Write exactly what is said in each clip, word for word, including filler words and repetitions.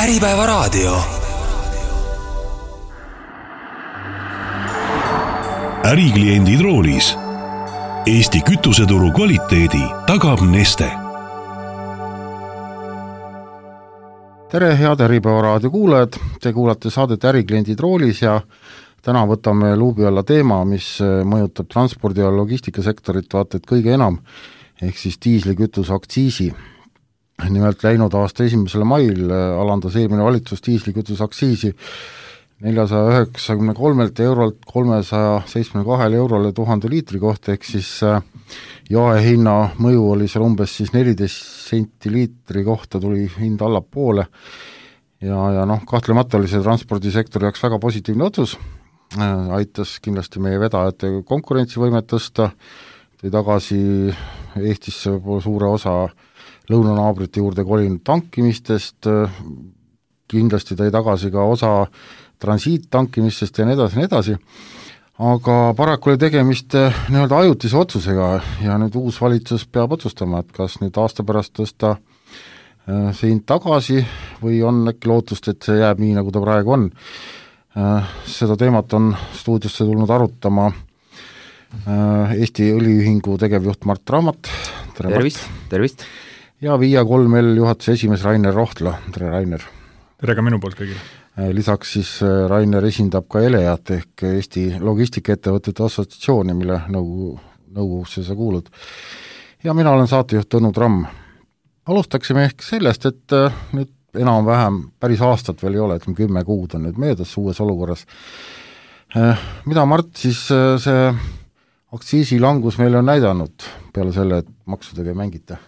Äripäevaraadio. Ärikliendid roolis. Eesti kütuseturu kvaliteedi tagab Neste. Tere, head Äripäevaraadio kuulajad, te kuulate saadet Ärikliendid roolis ja täna võtame luubi alla teema, mis mõjutab transpordi- ja logistikasektorit vaata et kõige enam, ehk siis diislikütuse aktsiisi. Nimelt läinud aasta esimesele mail alandas eelmine valitsus diislikütuse aktsiisi neljasaja üheksakümne kolmelt eurolt kolmesaja seitsmekümne kahele eurole tuhande liitri kohta, ehk siis jaehinna mõju oli seal umbes siis neliteist senti liitri kohta tuli hind allapoole ja, ja noh, kahtlemata oli see transpordisektori jaoks väga positiivne otsus, aitas kindlasti meie vedajate konkurentsivõimet tõsta, tõi tagasi Eestisse suure osa lõunanaabrite juurde kolinud tankimistest, kindlasti tõi tagasi ka osa transiittankimistest ja nii edasi, nii edasi, aga paraku oli tegemist nii-öelda ajutise otsusega ja nüüd uus valitsus peab otsustama, et kas nüüd aasta pärast tõsta see hind tagasi või on äkki lootust, et see jääb nii, nagu ta praegu on. Seda teemat on stuudiosse tulnud arutama Eesti Õliühingu tegevjuht Mart Raamat. Tere, tervist, Mart. tervist. Ja Via kolm L juhatuse esimees Rainer Rohtla. Tere, Rainer. Tere ka minu poolt kõigile. Lisaks siis Rainer esindab ka Eleat ehk Eesti Logistikaettevõtete Assotsiatsiooni, mille nõukogu, nõukogusse sa kuulud. Ja mina olen saatejuht Tõnu Tramm. Alustaksime ehk sellest, et nüüd enam-vähem päris aastat veel ei ole, et kümme kuud on nüüd möödas uues olukorras. Mida Mart siis see aktsiisilangus meile on näidanud peale selle, et maksudega ei mängita?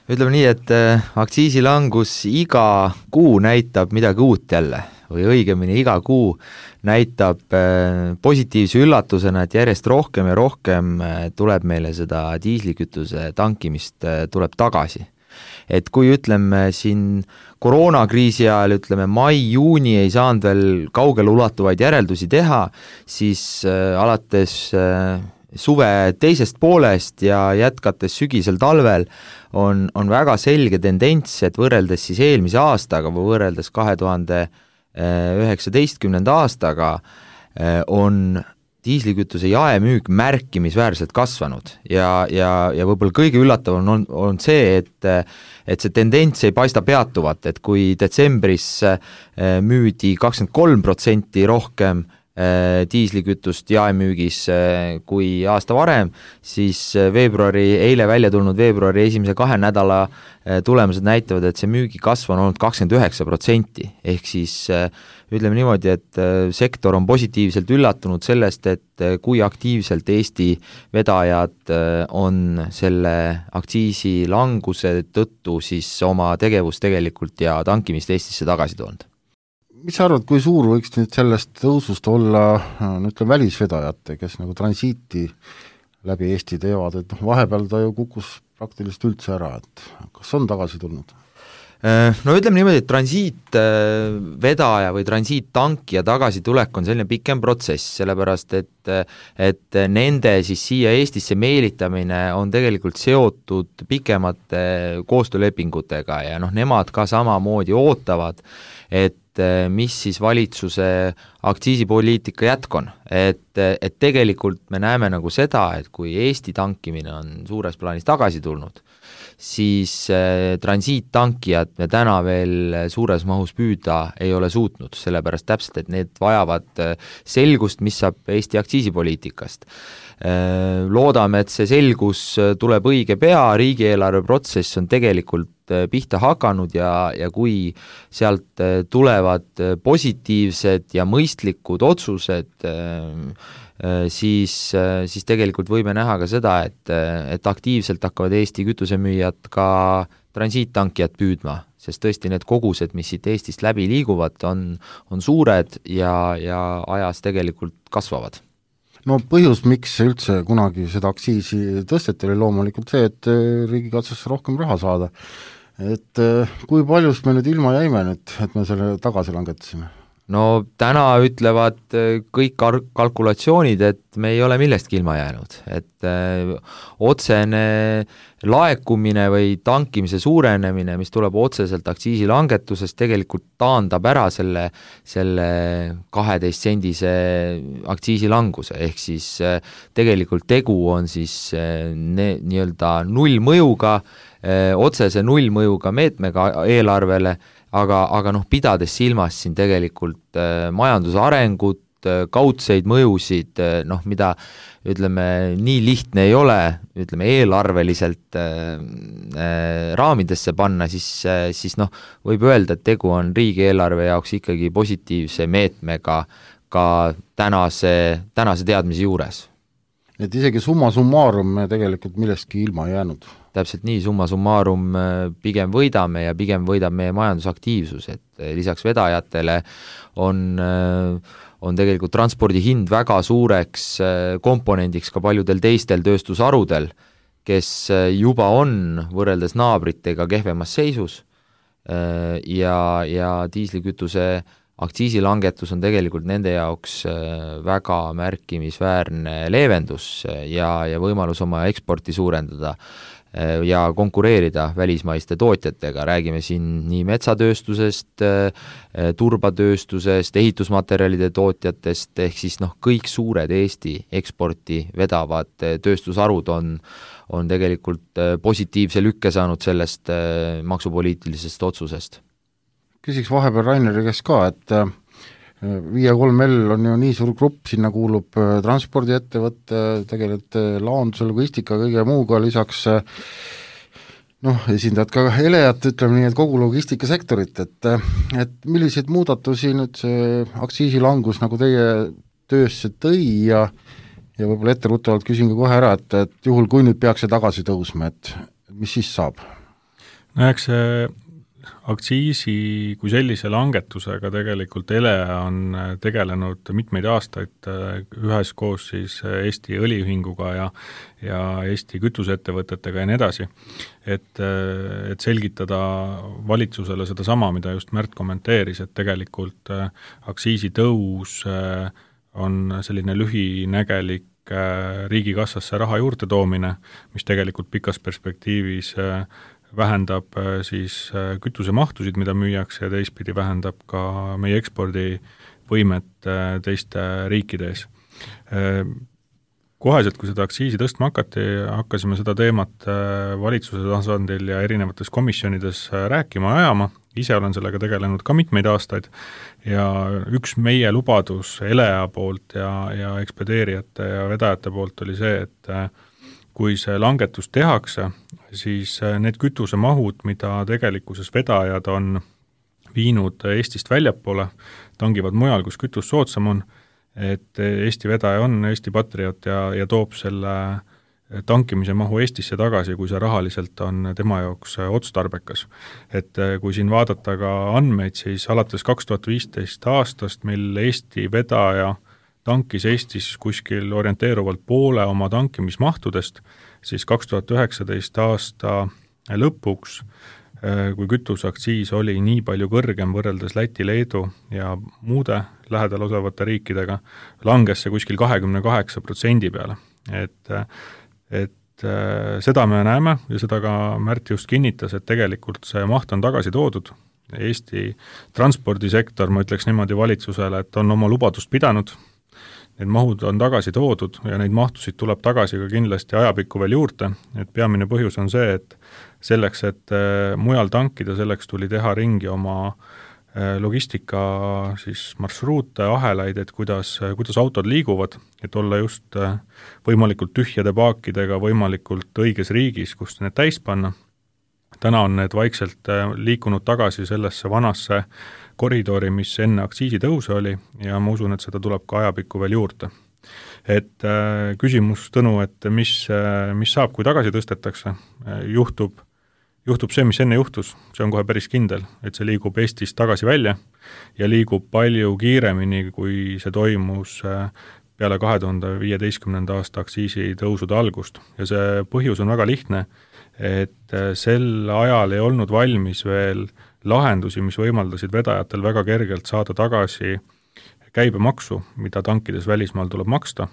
Ütleme nii, et aktsiisilangus iga kuu näitab midagi uut jälle või õigemini iga kuu näitab positiivse üllatusena, et järjest rohkem ja rohkem tuleb meile seda diislikütuse tankimist tuleb tagasi. Et kui ütleme siin koroonakriisi ajal, ütleme mai-juuni ei saanud veel kaugele ulatuvaid järeldusi teha, siis alates suve teisest poolest ja jätkates sügisel talvel on, on väga selge tendents, et võrreldes siis eelmise aastaga või võrreldes kahe tuhande üheksateistkümnenda aastaga on diislikütuse jaemüük märkimisväärselt kasvanud ja, ja, ja võib-olla kõige üllatavam on, on see, et, et see tendents ei paista peatuvat, et kui detsembris müüdi kakskümmend kolm protsenti rohkem diislikütust jaemüügis kui aasta varem, siis veebruari, eile välja tulnud veebruari esimese kahe nädala tulemused näitavad, et see müügikasv on olnud kakskümmend üheksa protsenti, ehk siis ütleme niimoodi, et sektor on positiivselt üllatunud sellest, et kui aktiivselt Eesti vedajad on selle aktsiisi languse tõttu siis oma tegevust tegelikult ja tankimist Eestisse tagasi toonud. Mis sa arvad, kui suur võiks nüüd sellest tõusust olla, ütleme, välisvedajate, kes nagu transiiti läbi Eesti teevad, et noh, vahepeal ta ju kukkus praktiliselt üldse ära, et kas on tagasi tulnud? No ütleme niimoodi, et transiitvedaja või transiittankija tagasitulek on selline pikem protsess, sellepärast et, et nende siis siia Eestisse meelitamine on tegelikult seotud pikemate koostöölepingutega ja noh, nemad ka samamoodi ootavad, et mis siis valitsuse aktsiisipoliitika jätk on, et, et tegelikult me näeme nagu seda, et kui Eesti tankimine on suures plaanis tagasi tulnud, siis äh, transiittankijad me täna veel suures mahus püüda ei ole suutnud, sellepärast täpselt, et need vajavad selgust, mis saab Eesti aktsiisipoliitikast. Äh, loodame, et see selgus tuleb õige pea, riigieelarve protsess on tegelikult pihta hakanud ja, ja kui sealt tulevad positiivsed ja mõistlikud otsused, siis, siis tegelikult võime näha ka seda, et, et aktiivselt hakkavad Eesti kütusemüüjad ka transiittankijad püüdma, sest tõesti need kogused, mis siit Eestist läbi liiguvad, on, on suured ja, ja ajas tegelikult kasvavad. No põhjus, miks üldse kunagi seda aktsiisi tõsteti, oli loomulikult see, et riigikassasse rohkem raha saada. Et kui paljust me nüüd ilma jäime nüüd, et me selle tagasi langetasime? no täna ütlevad kõik kalkulatsioonid, et me ei ole millestki ilma jäänud, et öö, otsene laekumine või tankimise suurenemine, mis tuleb otseselt aktsiisilangetusest, tegelikult taandab ära selle, selle kaheteist sendise aktsiisilanguse, ehk siis öö, tegelikult tegu on siis öö, ne, nii-öelda nullmõjuga, otsese nullmõjuga meetmega eelarvele, aga, aga noh, pidades silmas siin tegelikult äh, majanduse arengut, äh, kaudseid mõjusid, äh, noh, mida ütleme, nii lihtne ei ole, ütleme, eelarveliselt äh, äh, raamidesse panna, siis, äh, siis noh, võib öelda, et tegu on riigieelarve jaoks ikkagi positiivse meetmega ka tänase, tänase teadmise juures. Et isegi summa summarum me tegelikult millestki ilma jäänud. Täpselt nii, summa summarum pigem võidame ja pigem võidab meie majandusaktiivsus, et lisaks vedajatele on, on tegelikult transpordi hind väga suureks komponendiks ka paljudel teistel tööstusharudel, kes juba on võrreldes naabritega kehvemas seisus ja, ja diislikütuse aktsiisilangetus on tegelikult nende jaoks väga märkimisväärne leevendus ja, ja võimalus oma eksporti suurendada ja konkureerida välismaiste tootjatega, räägime siin nii metsatööstusest, turbatööstusest, ehitusmaterjalide tootjatest, ehk siis noh, kõik suured Eesti eksporti vedavad tööstusharud on, on tegelikult positiivse lükke saanud sellest maksupoliitilisest otsusest. Küsiks vahepeal Raineri käest ka, et Via kolm L on ju nii suur grupp, sinna kuulub transpordiettevõtte, tegelikult laonduse, logistika, kõige muuga, lisaks noh, esindajad ka Eleat, ütleme nii, et kogu logistikasektorit, et, et milliseid muudatusi nüüd see aktsiisilangus nagu teie töösse tõi ja, ja võib-olla etteruttavalt küsin ka kohe ära, et, et juhul kui nüüd peaks see tagasi tõusma, et mis siis saab? No eks see aktsiisi kui sellise langetusega tegelikult Ele on tegelenud mitmeid aastaid üheskoos siis Eesti õliühinguga ja, ja Eesti kütuseettevõtetega ja nii edasi, et, et selgitada valitsusele seda sama, mida just Märt kommenteeris, et tegelikult aktsiisitõus on selline lühinägelik riigikassasse raha juurde toomine, mis tegelikult pikas perspektiivis vähendab siis kütusemahtusid, mida müüakse ja teistpidi vähendab ka meie ekspordivõimet teiste riikide ees. Koheselt, kui seda aktsiisi tõstma hakati, hakkasime seda teemat valitsuse tasandil ja erinevates komisjonides rääkima ja ajama, ise olen sellega tegelenud ka mitmeid aastaid ja üks meie lubadus Elea poolt ja, ja ekspedeerijate ja vedajate poolt oli see, et kui see langetus tehakse, siis need kütusemahud, mida tegelikkuses vedajad on viinud Eestist väljapoole, tangivad mujal, kus kütus soodsam on, et Eesti vedaja on Eesti patrioot ja, ja toob selle tankimise mahu Eestisse tagasi, kui see rahaliselt on tema jaoks otstarbekas. Et kui siin vaadata ka andmeid, siis alates kaks tuhat viisteist aastast, mil Eesti vedaja tankis Eestis kuskil orienteeruvalt poole oma tankimismahtudest, siis kaks tuhat üheksateist aasta lõpuks, kui kütuseaktsiis oli nii palju kõrgem võrreldes Läti, Leedu ja muude lähedal osavate riikidega, langes see kuskil kakskümmend kaheksa protsendi peale. Et, et seda me näeme ja seda ka Märt just kinnitas, et tegelikult see maht on tagasi toodud. Eesti transpordisektor, ma ütleks niimoodi valitsusele, et on oma lubadust pidanud, need mahud on tagasi toodud ja neid mahtusid tuleb tagasi ka kindlasti ajapikku veel juurde, et peamine põhjus on see, et selleks, et mujal tankida, selleks tuli teha ringi oma logistika siis marsruute, ahelaid, et kuidas, kuidas autod liiguvad, et olla just võimalikult tühjade paakidega võimalikult õiges riigis, kust need täis panna. Täna on need vaikselt liikunud tagasi sellesse vanasse koridori, mis enne aktsiisitõuse oli ja ma usun, et seda tuleb ka ajapikku veel juurde. Et äh, küsimus, Tõnu, et mis, äh, mis saab, kui tagasi tõstetakse, äh, juhtub, juhtub see, mis enne juhtus, see on kohe päris kindel, et see liigub Eestist tagasi välja ja liigub palju kiiremini, kui see toimus äh, peale kahe tuhande viieteistkümnenda aasta aktsiisitõusude algust. Ja see põhjus on väga lihtne, et sel ajal ei olnud valmis veel lahendusi, mis võimaldasid vedajatel väga kergelt saada tagasi käibemaksu, mida tankides välismaal tuleb maksta,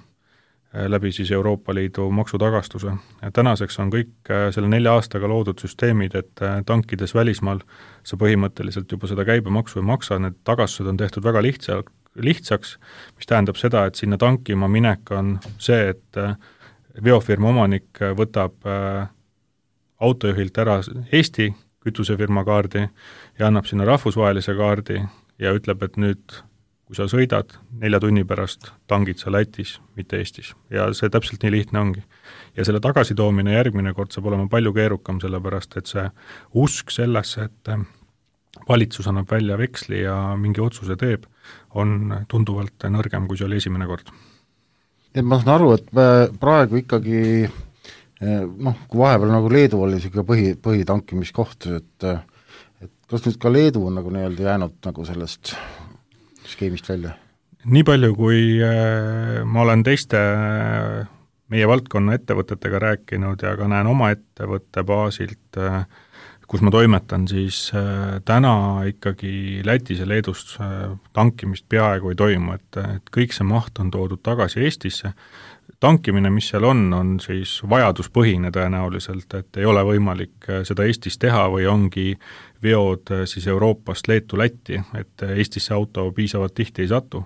läbi siis Euroopa Liidu maksutagastuse. Tänaseks on kõik selle nelja aastaga loodud süsteemid, et tankides välismaal sa põhimõtteliselt juba seda käibemaksu ei maksa, need tagastused on tehtud väga lihtsa, lihtsaks, mis tähendab seda, et sinna tankima minek on see, et veofirma omanik võtab autojuhilt ära Eesti kütusefirma kaardi ja annab sinna rahvusvahelise kaardi ja ütleb, et nüüd kui sa sõidad, nelja tunni pärast tangid sa Lätis, mitte Eestis. Ja see täpselt nii lihtne ongi. Ja selle tagasitoomine järgmine kord saab olema palju keerukam, sellepärast et see usk sellesse, et valitsus annab välja veksli ja mingi otsuse teeb, on tunduvalt nõrgem, kui see oli esimene kord. Et ma saan aru, et praegu ikkagi, noh, kui vahepeal nagu Leedu oli siuke põhi, põhitankimiskoht, et, et kas nüüd ka Leedu on nagu nii-öelda jäänud nagu sellest skeemist välja? Nii palju, kui äh, ma olen teiste äh, meie valdkonna ettevõtetega rääkinud ja ka näen oma ettevõtte baasilt, äh, kus ma toimetan, siis äh, täna ikkagi Lätis ja Leedus äh, tankimist peaaegu ei toimu, et, et kõik see maht on toodud tagasi Eestisse. Tankimine, mis seal on, on siis vajaduspõhine tõenäoliselt, et ei ole võimalik seda Eestis teha või ongi veod siis Euroopast Leetu Lätti, et Eestisse auto piisavalt tihti ei satu.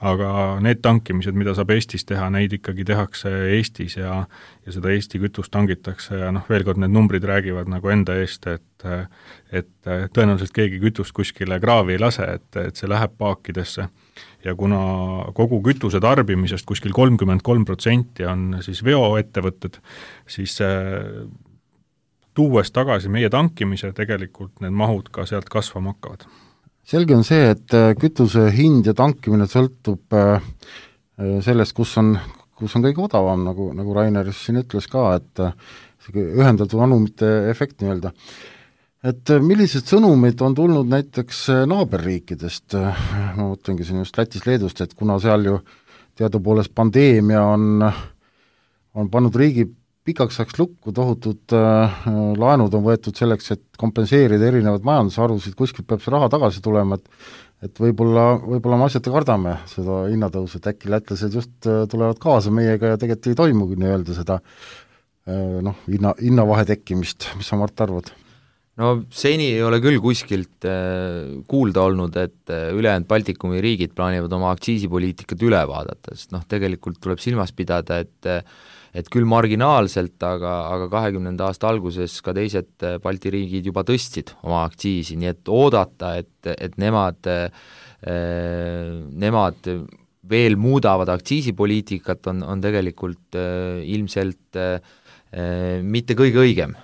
Aga need tankimised, mida saab Eestis teha, neid ikkagi tehakse Eestis ja, ja seda Eesti kütust tangitakse ja noh, veel kord need numbrid räägivad nagu enda eest, et, et tõenäoliselt keegi kütust kuskile kraavi ei lase, et, et see läheb paakidesse. Ja kuna kogu kütuse tarbimisest kuskil kolmkümmend kolm protsenti on siis veoettevõtted, siis tuues tagasi meie tankimise, tegelikult need mahud ka sealt kasvama hakkavad. Selge on see, et kütuse hind ja tankimine sõltub sellest, kus on, kus on kõige odavam, nagu, nagu Rainer siin ütles ka, et ühendatud anumite efekt nii-öelda. Et millised sõnumid on tulnud näiteks naaberriikidest, ma mõtlengi siin just Lätis, Leedust, et kuna seal ju teadupoolest pandeemia on, on pannud riigi pikaks ajaks lukku, tohutud äh, laenud on võetud selleks, et kompenseerida erinevad majandusharusid, kuskilt peab see raha tagasi tulema, et, et võib-olla, võib-olla me asjata kardame seda hinnatõusu, et äkki lätlased just äh, tulevad kaasa meiega ja tegelikult ei toimugi nii-öelda seda äh, noh, hinna, hinnavahe tekkimist, mis sa, Mart, arvad? No seni ei ole küll kuskilt äh, kuulda olnud, et äh, ülejäänud Baltikumi riigid plaanivad oma aktsiisipoliitikat üle vaadata, sest noh, tegelikult tuleb silmas pidada, et äh, et küll marginaalselt, aga, aga kahekümnenda aasta alguses ka teised Balti riigid juba tõstsid oma aktsiisi, nii et oodata, et, et nemad, nemad veel muudavad aktsiisipoliitikat, on, on tegelikult ilmselt mitte kõige õigem.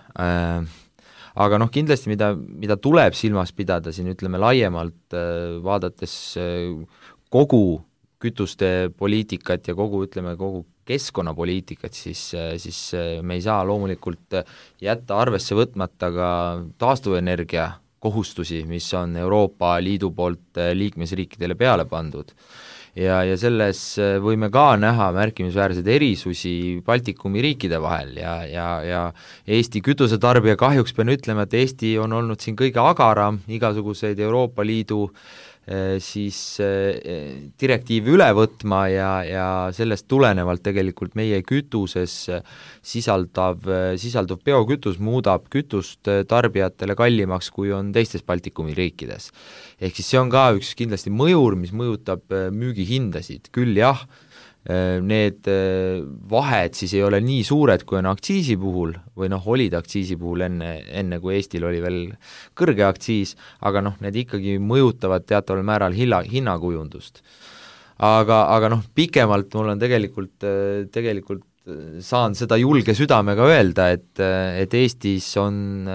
Aga noh, kindlasti mida, mida tuleb silmas pidada siin, ütleme laiemalt, vaadates kogu kütuste poliitikat ja kogu, ütleme, kogu keskkonnapoliitikat, siis, siis me ei saa loomulikult jätta arvesse võtmata ka taastuvenergia kohustusi, mis on Euroopa Liidu poolt liikmesriikidele peale pandud. Ja, ja selles võime ka näha märkimisväärseid erisusi Baltikumi riikide vahel ja, ja, ja Eesti kütusetarbija kahjuks pean ütlema, et Eesti on olnud siin kõige agaram igasuguseid Euroopa Liidu siis direktiivi üle võtma ja, ja sellest tulenevalt tegelikult meie kütuses sisaldav, sisalduv biokütus muudab kütust tarbijatele kallimaks, kui on teistes Baltikumi riikides. Ehk siis see on ka üks kindlasti mõjur, mis mõjutab müügihindasid, küll jah, need vahed siis ei ole nii suured, kui on aktsiisi puhul, või noh, olid aktsiisi puhul enne, enne kui Eestil oli veel kõrge aktsiis, aga noh, need ikkagi mõjutavad teataval määral hinna, hinnakujundust. Aga, aga noh, pikemalt mul on tegelikult, tegelikult saan seda julge südamega öelda, et, et Eestis on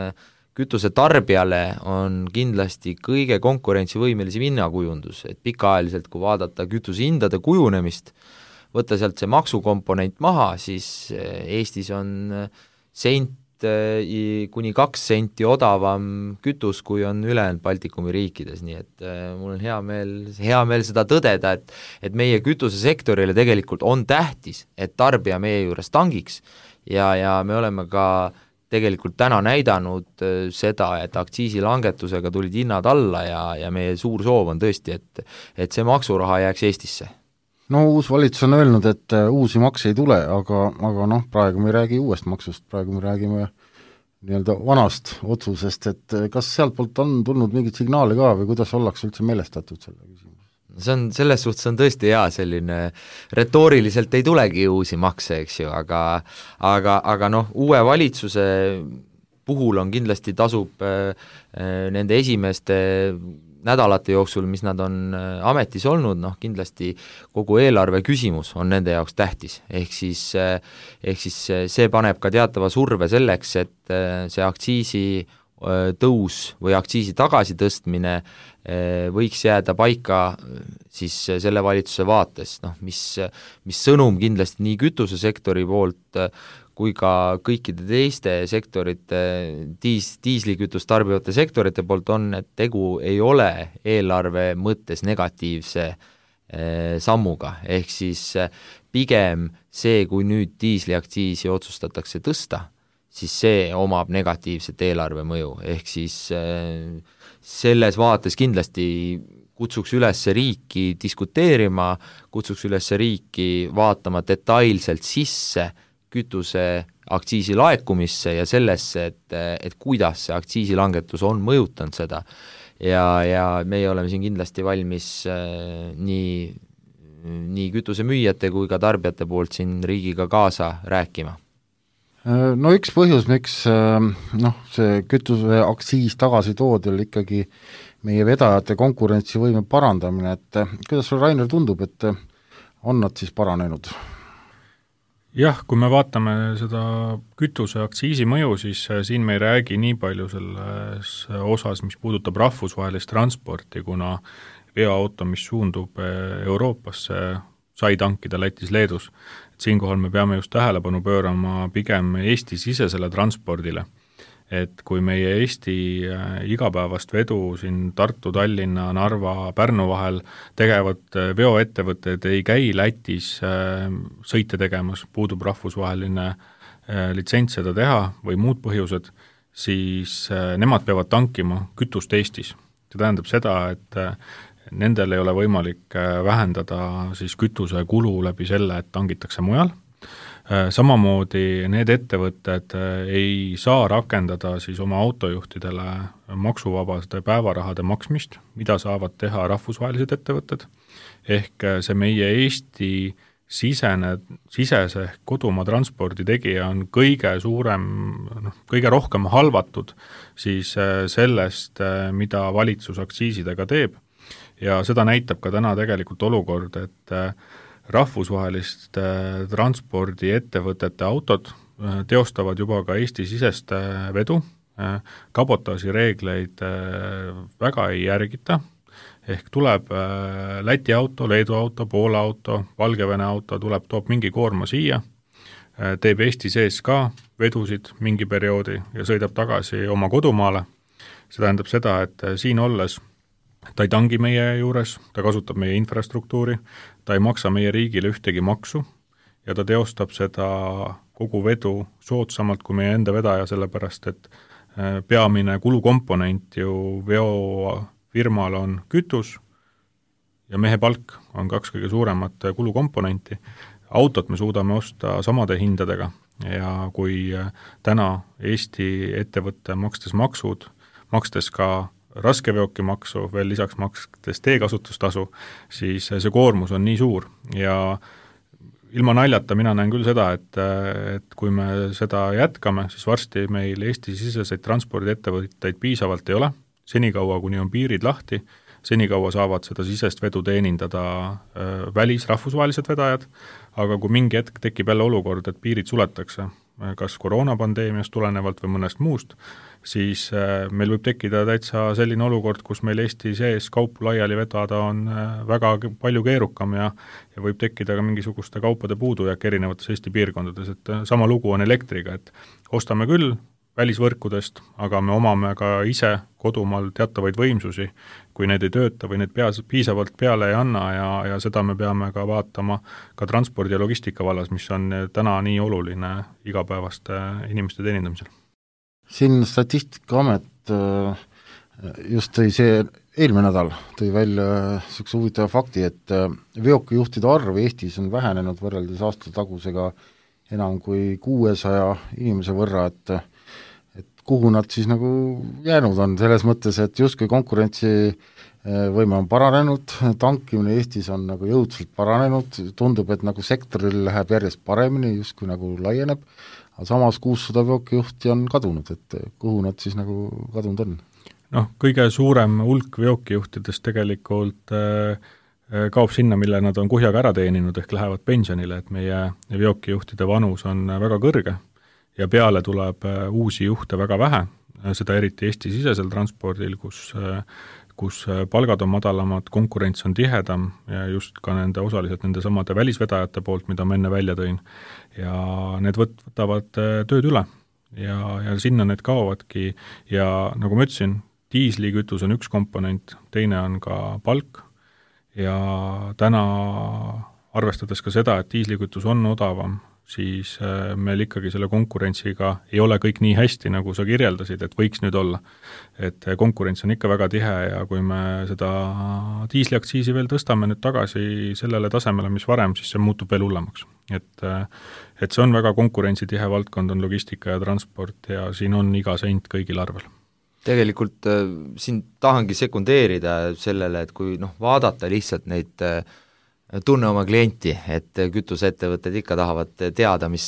kütuse tarbijale on kindlasti kõige konkurentsivõimelisem hinnakujundus, et pikaajaliselt, kui vaadata kütuse hindade kujunemist, võtta sealt see maksukomponent maha, siis Eestis on sent kuni kaks senti odavam kütus, kui on ülejäänud Baltikumi riikides, nii et mul on hea meel, hea meel seda tõdeda, et, et meie kütusesektorile tegelikult on tähtis, et tarbija meie juures tangiks ja, ja me oleme ka tegelikult täna näidanud seda, et aktsiisilangetusega tulid hinnad alla ja, ja meie suur soov on tõesti, et, et see maksuraha jääks Eestisse. No uus valitsus on öelnud, et uusi makse ei tule, aga, aga noh, praegu me ei räägi uuest maksust, praegu me räägime nii-öelda vanast otsusest, et kas sealt poolt on tulnud mingit signaali ka või kuidas ollakse üldse meelestatud selle küsimus? See on, selles suhtes on tõesti hea, selline retooriliselt ei tulegi uusi makse, eks ju, aga aga, aga noh, uue valitsuse puhul on kindlasti tasub äh, nende esimeste nädalate jooksul, mis nad on ametis olnud, noh kindlasti kogu eelarve küsimus on nende jaoks tähtis, ehk siis, ehk siis see paneb ka teatava surve selleks, et see aktsiisi tõus või aktsiisi tagasitõstmine võiks jääda paika siis selle valitsuse vaates, noh mis, mis sõnum kindlasti nii kütusesektori poolt kui ka kõikide teiste sektorite, diis, diislikütust tarbivate sektorite poolt on, et tegu ei ole eelarve mõttes negatiivse eh, sammuga, ehk siis eh, pigem see, kui nüüd diisliaktsiisi otsustatakse tõsta, siis see omab negatiivset eelarve mõju, ehk siis eh, selles vaates kindlasti kutsuks üles riiki diskuteerima, kutsuks üles riiki vaatama detailselt sisse kütuse aktsiisi laekumisse ja sellesse, et, et kuidas see aktsiisilangetus on mõjutanud seda ja, ja meie oleme siin kindlasti valmis äh, nii, nii kütusemüüjate kui ka tarbijate poolt siin riigiga kaasa rääkima. No üks põhjus, miks noh, see kütuse aktsiis tagasi toodi, oli ikkagi meie vedajate konkurentsivõime parandamine, et kuidas sul, Rainer, tundub, et on nad siis paranenud? Jah, kui me vaatame seda kütuse aktsiisi mõju, siis siin me ei räägi nii palju selles osas, mis puudutab rahvusvahelist transporti, kuna veoauto, mis suundub Euroopasse, sai tankida Lätis, Leedus. Et siinkohal me peame just tähelepanu pöörama pigem Eesti-sisesele transpordile. Et kui meie Eesti igapäevast vedu siin Tartu, Tallinna, Narva, Pärnu vahel tegevad veoettevõtted ei käi Lätis sõite tegemas, puudub rahvusvaheline litsents seda teha või muud põhjused, siis nemad peavad tankima kütust Eestis. See tähendab seda, et nendel ei ole võimalik vähendada siis kütuse kulu läbi selle, et tangitakse mujal. Samamoodi need ettevõtted ei saa rakendada siis oma autojuhtidele maksuvabaste päevarahade maksmist, mida saavad teha rahvusvahelised ettevõtted, ehk see meie Eesti sisene, sisese kodumaa transpordi tegija on kõige suurem, noh, kõige rohkem halvatud siis sellest, mida valitsus aktsiisidega teeb ja seda näitab ka täna tegelikult olukord, et rahvusvahelist transpordiettevõtete autod teostavad juba ka Eesti-sisest vedu, kabotaaži reegleid väga ei järgita, ehk tuleb Läti auto, Leedu auto, Poola auto, Valgevene auto, tuleb, toob mingi koorma siia, teeb Eesti sees ka vedusid mingi perioodi ja sõidab tagasi oma kodumaale. See tähendab seda, et siin olles ta ei tangi meie juures, ta kasutab meie infrastruktuuri, ta ei maksa meie riigile ühtegi maksu ja ta teostab seda kogu vedu soodsamalt kui meie enda vedaja, sellepärast et peamine kulukomponent ju veofirmal on kütus ja mehe palk on kaks kõige suuremat kulukomponenti. Autot me suudame osta samade hindadega ja kui täna Eesti ettevõtte makstes maksud, makstes ka raskeveokimaksu, veel lisaks makstes teekasutustasu, siis see koormus on nii suur ja ilma naljata mina näen küll seda, et, et kui me seda jätkame, siis varsti meil Eesti-siseseid transpordiettevõtteid piisavalt ei ole, senikaua kuni on piirid lahti, senikaua saavad seda sisest vedu teenindada äh, välis rahvusvahelised vedajad, aga kui mingi hetk tekib jälle olukord, et piirid suletakse, kas koroonapandeemiast tulenevalt või mõnest muust, siis meil võib tekkida täitsa selline olukord, kus meil Eesti sees kaupu laiali vedada on väga palju keerukam ja, ja võib tekkida ka mingisuguste kaupade puudujääk erinevates Eesti piirkondades, et sama lugu on elektriga, et ostame küll välisvõrkudest, aga me omame ka ise kodumaal teatavaid võimsusi, kui need ei tööta või need peas, piisavalt peale ei anna ja, ja seda me peame ka vaatama ka transpordi ja logistika vallas, mis on täna nii oluline igapäevaste inimeste teenindamisel. siin Statistikaamet just tõi see eelmine nädal tõi välja niisuguse huvitava fakti, et veokijuhtide arv Eestis on vähenenud võrreldes aastatagusega enam kui kuuesaja inimese võrra, et et kuhu nad siis nagu jäänud on, selles mõttes, et justkui konkurentsivõime on paranenud, tankimine Eestis on nagu jõudselt paranenud, tundub, et nagu sektoril läheb järjest paremini, justkui nagu laieneb, aga samas kuussada veokijuhti on kadunud, et kuhu nad siis nagu kadunud on? Noh, kõige suurem hulk veokijuhtidest tegelikult äh, kaob sinna, mille nad on kuhjaga ära teeninud, ehk lähevad pensionile, et meie veokijuhtide vanus on väga kõrge ja peale tuleb uusi juhte väga vähe, seda eriti Eesti-sisesel transpordil, kus, kus palgad on madalamad, konkurents on tihedam ja just ka nende osaliselt nende samade välisvedajate poolt, mida ma enne välja tõin, ja need võtavad tööd üle ja, ja sinna need kaovadki ja nagu ma ütlesin, diislikütus on üks komponent, teine on ka palk ja täna arvestades ka seda, et diislikütus on odavam, siis meil ikkagi selle konkurentsiga ei ole kõik nii hästi, nagu sa kirjeldasid, et võiks nüüd olla. Et konkurents on ikka väga tihe ja kui me seda diisliaktsiisi veel tõstame nüüd tagasi sellele tasemele, mis varem, siis see muutub veel hullemaks. Et, et see on väga konkurentsitihe valdkond, on logistika ja transport ja siin on iga sent kõigil arvel. Tegelikult äh, siin tahangi sekundeerida sellele, et kui noh, vaadata lihtsalt neid äh, tunne oma klienti, et kütuseettevõtted ikka tahavad teada, mis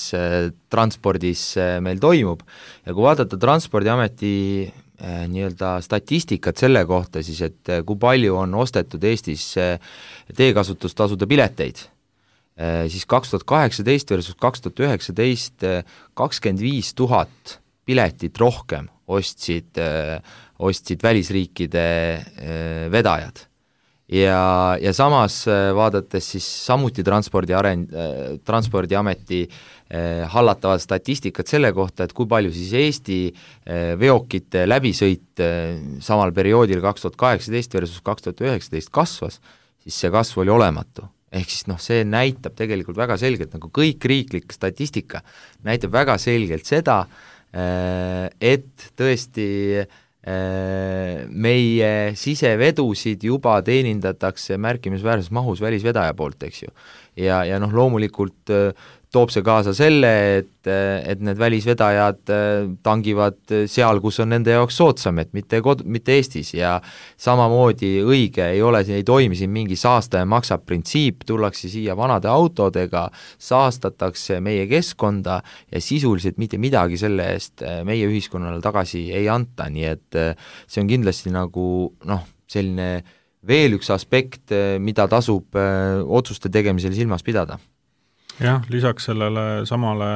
transpordis meil toimub ja kui vaadata Transpordiameti nii-öelda statistikat selle kohta, siis et kui palju on ostetud Eestis teekasutustasude pileteid, siis kaks tuhat kaheksateist versus kaks tuhat üheksateist kakskümmend viis tuhat piletit rohkem ostsid, ostsid välisriikide vedajad. Ja, ja samas vaadates siis samuti transpordi arend, Transpordiameti eh, hallatavad statistikat selle kohta, et kui palju siis Eesti eh, veokite läbisõit eh, samal perioodil kaks tuhat kaheksateist versus kaks tuhat üheksateist kasvas, siis see kasv oli olematu. Ehk siis noh, see näitab tegelikult väga selgelt, nagu kõik riiklik statistika näitab väga selgelt seda, eh, et tõesti meie sisevedusid juba teenindatakse märkimisväärses mahus välisvedaja poolt, eks ju. Ja, ja noh, loomulikult toob see kaasa selle, et, et need välisvedajad tangivad seal, kus on nende jaoks soodsam, et mitte, kod, mitte Eestis ja samamoodi õige ei ole, ei toimi siin mingi saastaja maksab printsiip, tullakse siia vanade autodega, saastatakse meie keskkonda ja sisuliselt mitte midagi selle eest meie ühiskonnale tagasi ei anta, nii et see on kindlasti nagu noh, selline veel üks aspekt, mida tasub otsuste tegemisel silmas pidada. Jah, lisaks sellele samale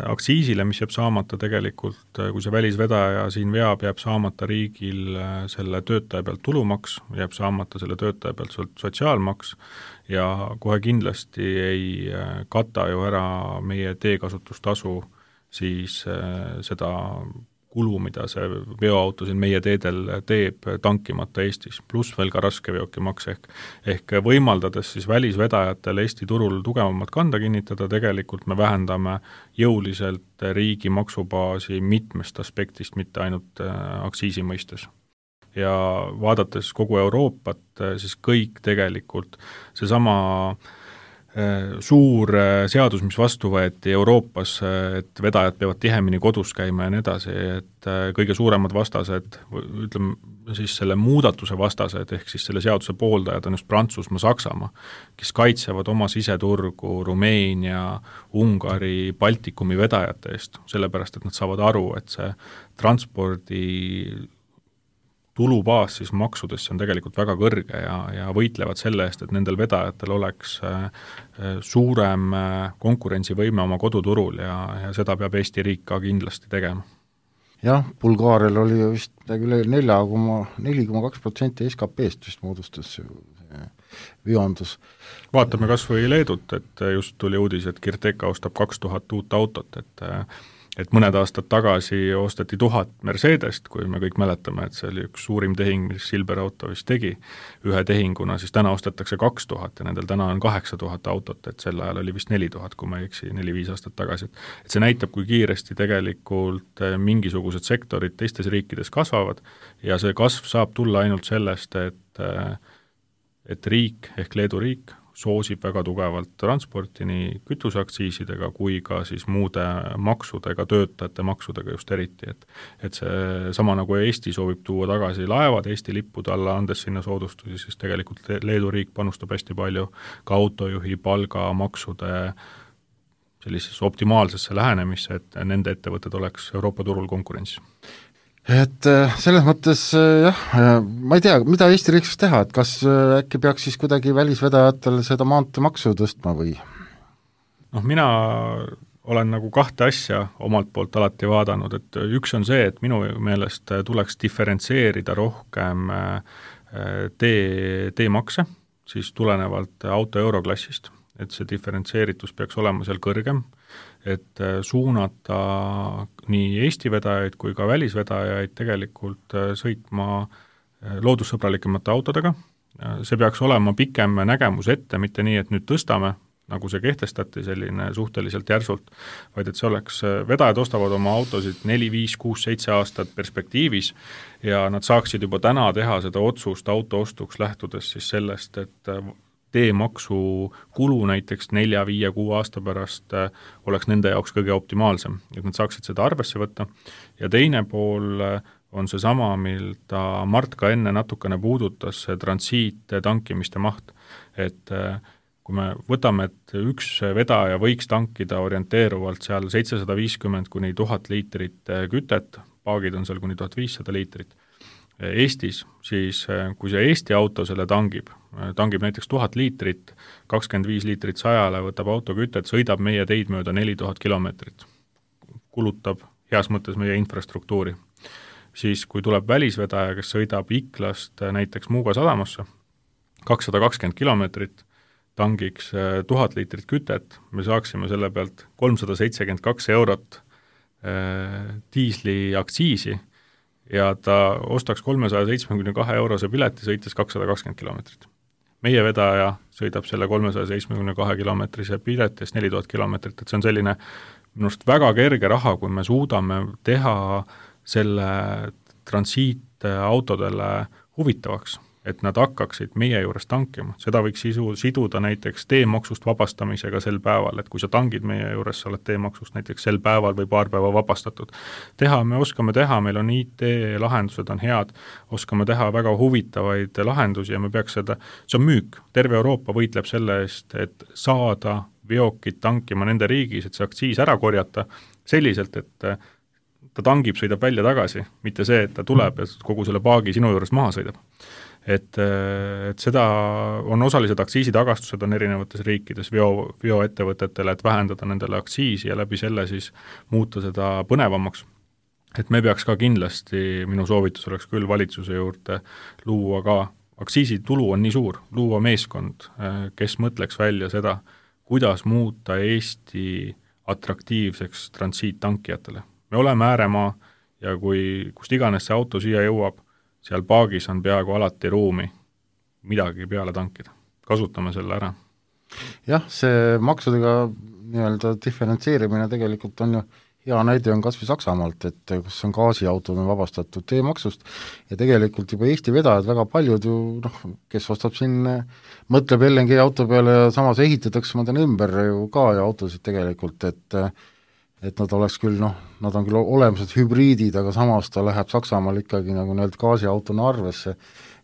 aktsiisile, mis jääb saamata tegelikult, kui see välisvedaja siin veab, jääb saamata riigil selle töötaja pealt tulumaks, jääb saamata selle töötaja pealt sotsiaalmaks ja kohe kindlasti ei kata ju ära meie teekasutustasu siis seda kulu, mida see veoauto siin meie teedel teeb tankimata Eestis, pluss veel ka raskeveokimaks ehk, ehk võimaldades siis välisvedajatel Eesti turul tugevamat kanda kinnitada, tegelikult me vähendame jõuliselt riigi maksubaasi mitmest aspektist, mitte ainult aktsiisi mõistes. Ja vaadates kogu Euroopat, siis kõik tegelikult seesama suur seadus, mis vastu võeti Euroopas, et vedajad peavad tihemini kodus käima ja nii edasi, et kõige suuremad vastased, ütleme siis selle muudatuse vastased, ehk siis selle seaduse pooldajad on just Prantsusmaa, Saksamaa, kes kaitsevad oma siseturgu Rumeenia, Ungari, Baltikumi vedajate eest, sellepärast et nad saavad aru, et see transpordi tulubaas siis maksudesse on tegelikult väga kõrge ja, ja võitlevad selle eest, et nendel vedajatel oleks suurem konkurentsivõime oma koduturul ja, ja seda peab Eesti riik ka kindlasti tegema. Jah, Bulgaarial oli vist üle nelja koma kaks protsenti S K P-st vist moodustas veondus. Vaatame kas või Leedut, et just tuli uudis, et Kirteka ostab kaks tuhat uut autot, et et mõned aastad tagasi osteti tuhat Mercedest, kui me kõik mäletame, et see oli üks suurim tehing, mis Silver Auto vist tegi ühe tehinguna, siis täna ostetakse kaks tuhat ja nendel täna on kaheksa tuhat autot, et sel ajal oli vist neli tuhat, kui ma ei eksi, neli-viis aastat tagasi. Et see näitab, kui kiiresti tegelikult mingisugused sektorid teistes riikides kasvavad ja see kasv saab tulla ainult sellest, et, et riik ehk Leedu riik soosib väga tugevalt transporti nii kütuseaktsiisidega kui ka siis muude maksudega, töötajate maksudega just eriti, et et see sama nagu Eesti soovib tuua tagasi laevad Eesti lippude alla, andes sinna soodustusi, siis tegelikult Leedu riik panustab hästi palju ka autojuhi palga maksude sellisesse optimaalsesse lähenemisse, et nende ettevõtted oleks Euroopa turul konkurentsis. Et selles mõttes jah, ma ei tea, mida Eesti riik saaks teha, et kas äkki peaks siis kuidagi välisvedajatel seda maanteemaksu tõstma või? Noh, mina olen nagu kahte asja omalt poolt alati vaadanud, et üks on see, et minu meelest tuleks diferentseerida rohkem tee, teemakse, siis tulenevalt auto euroklassist, et see diferentseeritus peaks olema seal kõrgem, et suunata nii Eesti vedajaid kui ka välisvedajaid tegelikult sõitma loodussõbralikemate autodega. See peaks olema pikem nägemus ette, mitte nii, et nüüd tõstame, nagu see kehtestati selline suhteliselt järsult, vaid et see oleks, vedajad ostavad oma autosid neli, viis, kuus, seitse aastat perspektiivis ja nad saaksid juba täna teha seda otsust auto ostuks lähtudes siis sellest, et teemaksu kulu näiteks nelja, viie, kuu aasta pärast oleks nende jaoks kõige optimaalsem, et nad saaksid seda arvesse võtta. Ja teine pool on see sama, milda Mart ka enne natukene puudutas, see transiit tankimiste maht, et kui me võtame, et üks vedaja võiks tankida orienteeruvalt seal seitsesada viiskümmend kuni tuhat liitrit kütet, paagid on seal kuni tuhat viissada liitrit, Eestis, siis kui see Eesti auto selle tangib, tangib näiteks tuhat liitrit, kakskümmend viis liitrit sajale, võtab auto kütet, sõidab meie teid mööda neli tuhat kilomeetrit, kulutab heas mõttes meie infrastruktuuri. Siis kui tuleb välisvedaja, kes sõidab Iklast näiteks Muuga sadamasse, kakssada kakskümmend kilomeetrit, tangiks tuhat liitrit kütet, me saaksime selle pealt kolmsada seitsekümmend kaks eurot diisli aktsiisi, ja ta ostaks kolmesaja seitsmekümne kahe eurose pileti, sõites kakssada kakskümmend kilomeetrit. Meie vedaja sõidab selle kolmesaja seitsmekümne kahe kilomeetrise piletist neli tuhat kilomeetrit, et see on selline minust väga kerge raha, kui me suudame teha selle transiitautodele huvitavaks, et nad hakkaksid meie juures tankima. Seda võiks sisu, siduda näiteks teemaksust vabastamisega sel päeval, et kui sa tangid meie juures, sa oled teemaksust näiteks sel päeval või paar päeva vabastatud. Teha, me oskame teha, meil on I T-lahendused on head, oskame teha väga huvitavaid lahendusi ja me peaks seda, see on müük. Terve Euroopa võitleb selle eest, et saada veokid tankima nende riigis, et see aktsiis ära korjata selliselt, et ta tangib, sõidab välja tagasi, mitte see, et ta tuleb ja kogu selle paagi sinu juures maha sõidab. Et, et seda on osalised aktsiisitagastused on erinevates riikides veo, veoettevõtetele, et vähendada nendele aktsiisi ja läbi selle siis muuta seda põnevamaks. Et me peaks ka kindlasti, minu soovitus oleks küll valitsuse juurde luua ka, aktsiisitulu on nii suur, luua meeskond, kes mõtleks välja seda, kuidas muuta Eesti atraktiivseks transiittankijatele. Me oleme ääremaa ja kui kust iganes see auto siia jõuab, seal paagis on peaaegu alati ruumi midagi peale tankida. Kasutame selle ära. Jah, see maksudega nii-öelda diferentseerimine tegelikult on ju hea näide on kas või Saksamaalt, et kus on gaasiautod on vabastatud teemaksust ja tegelikult juba Eesti vedajad väga paljud ju, noh, kes ostab siin, mõtleb L N G auto peale ja samas ehitatakse ma tean ümber ju ka ja autosid tegelikult, et et nad oleks küll, noh, nad on küll olemused hübriidid, aga samas ta läheb Saksamaal ikkagi nagu nii-öelda gaasiautona arvesse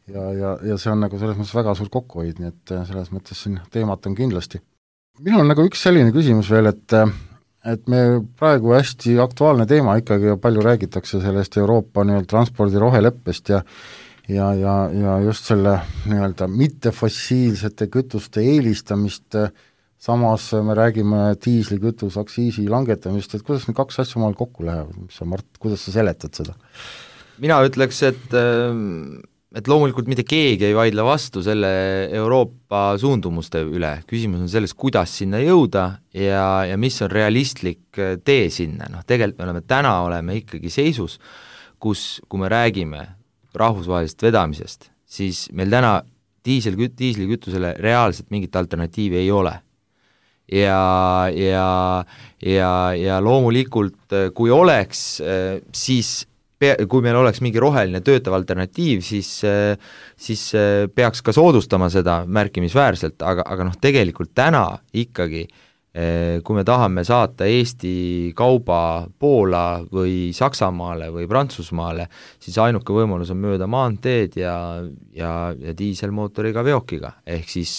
ja, ja, ja see on nagu selles mõttes väga suur kokkuhoid, nii et selles mõttes siin teemat on kindlasti. Minul on nagu üks selline küsimus veel, et et me praegu hästi aktuaalne teema ikkagi ja palju räägitakse sellest Euroopa nii-öelda transpordi roheleppest ja ja, ja, ja just selle nii-öelda mittefossiilsete kütuste eelistamist, samas me räägime diislikütus aktsiisi langetamist, et kuidas need kaks asja omal kokku lähevad, mis sa, Mart, kuidas sa seletad seda? Mina ütleks, et et loomulikult mitte keegi ei vaidle vastu selle Euroopa suundumuste üle, küsimus on selles, kuidas sinna jõuda ja, ja mis on realistlik tee sinna, noh tegelikult me oleme täna oleme ikkagi seisus, kus, kui me räägime rahvusvahelisest vedamisest, siis meil täna diisel, diislikütusele reaalselt mingit alternatiivi ei ole. Ja, ja, ja, ja loomulikult, kui oleks, siis kui meil oleks mingi roheline töötav alternatiiv, siis, siis peaks ka soodustama seda märkimisväärselt, aga, aga noh, tegelikult täna ikkagi, kui me tahame saata Eesti kauba Poola või Saksamaale või Prantsusmaale, siis ainuke võimalus on mööda maanteed ja, ja, ja diiselmootoriga veokiga. Ehk siis,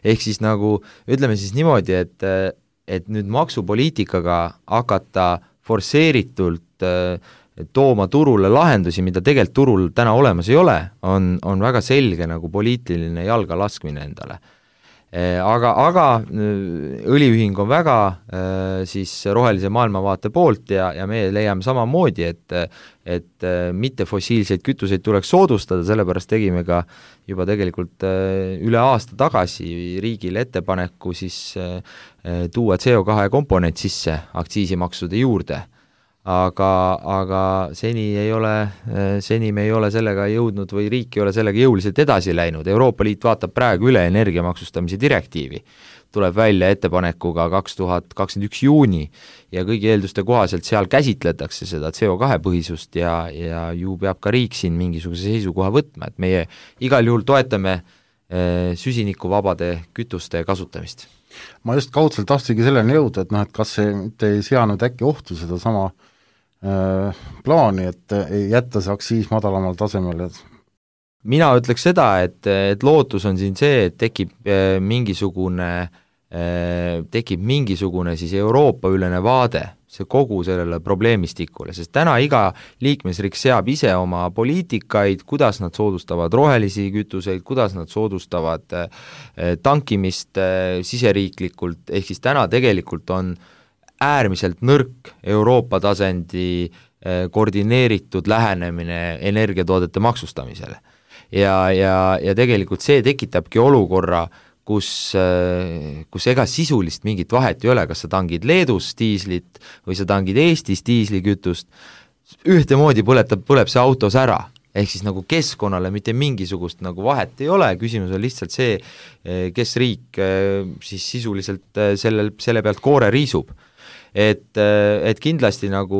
ehk siis nagu, ütleme siis niimoodi, et, et nüüd maksupoliitikaga hakata forsseeritult tooma turule lahendusi, mida tegelikult turul täna olemas ei ole, on, on väga selge nagu poliitiline jalga laskmine endale. Aga, aga õliühing on väga siis rohelise maailmavaate poolt ja, ja me leiame samamoodi, et, et mitte fossiilseid kütuseid tuleks soodustada, sellepärast tegime ka juba tegelikult üle aasta tagasi riigile ettepaneku siis tuua C O kahe komponent sisse aktsiisimaksude juurde. Aga, aga seni ei ole, seni me ei ole sellega jõudnud või riik ei ole sellega jõuliselt edasi läinud. Euroopa Liit vaatab praegu üle energiamaksustamise direktiivi, tuleb välja ettepanekuga kaks tuhat kakskümmend üks juuni ja kõigi eelduste kohaselt seal käsitletakse seda C O kahe põhisust ja, ja ju peab ka riik siin mingisuguse seisukoha võtma, et meie igal juhul toetame süsinikuvabade kütuste kasutamist. Ma just kaudselt tahtsingi selleni jõuda, et noh, et kas see mitte ei seanud äkki ohtu seda sama plaani, et ei jätta see aktsiis madalamal tasemel? Mina ütleks seda, et, et lootus on siin see, et tekib mingisugune, tekib mingisugune siis Euroopa ülene vaade see kogu sellele probleemistikule, sest täna iga liikmesriik seab ise oma poliitikaid, kuidas nad soodustavad rohelisi kütuseid, kuidas nad soodustavad tankimist siseriiklikult, ehk siis täna tegelikult on äärmiselt nõrk Euroopa tasandi koordineeritud lähenemine energiatoodete maksustamisele. Ja, ja, ja tegelikult see tekitabki olukorra, kus, kus ega sisulist mingit vahet ei ole, kas sa tangid Leedus diislit või sa tangid Eestis diislikütust, ühtemoodi põletab, põleb see autos ära. Ehk siis nagu keskkonnale mitte mingisugust nagu vahet ei ole, küsimus on lihtsalt see, kes riik siis sisuliselt selle, selle pealt koore riisub. Et, et kindlasti nagu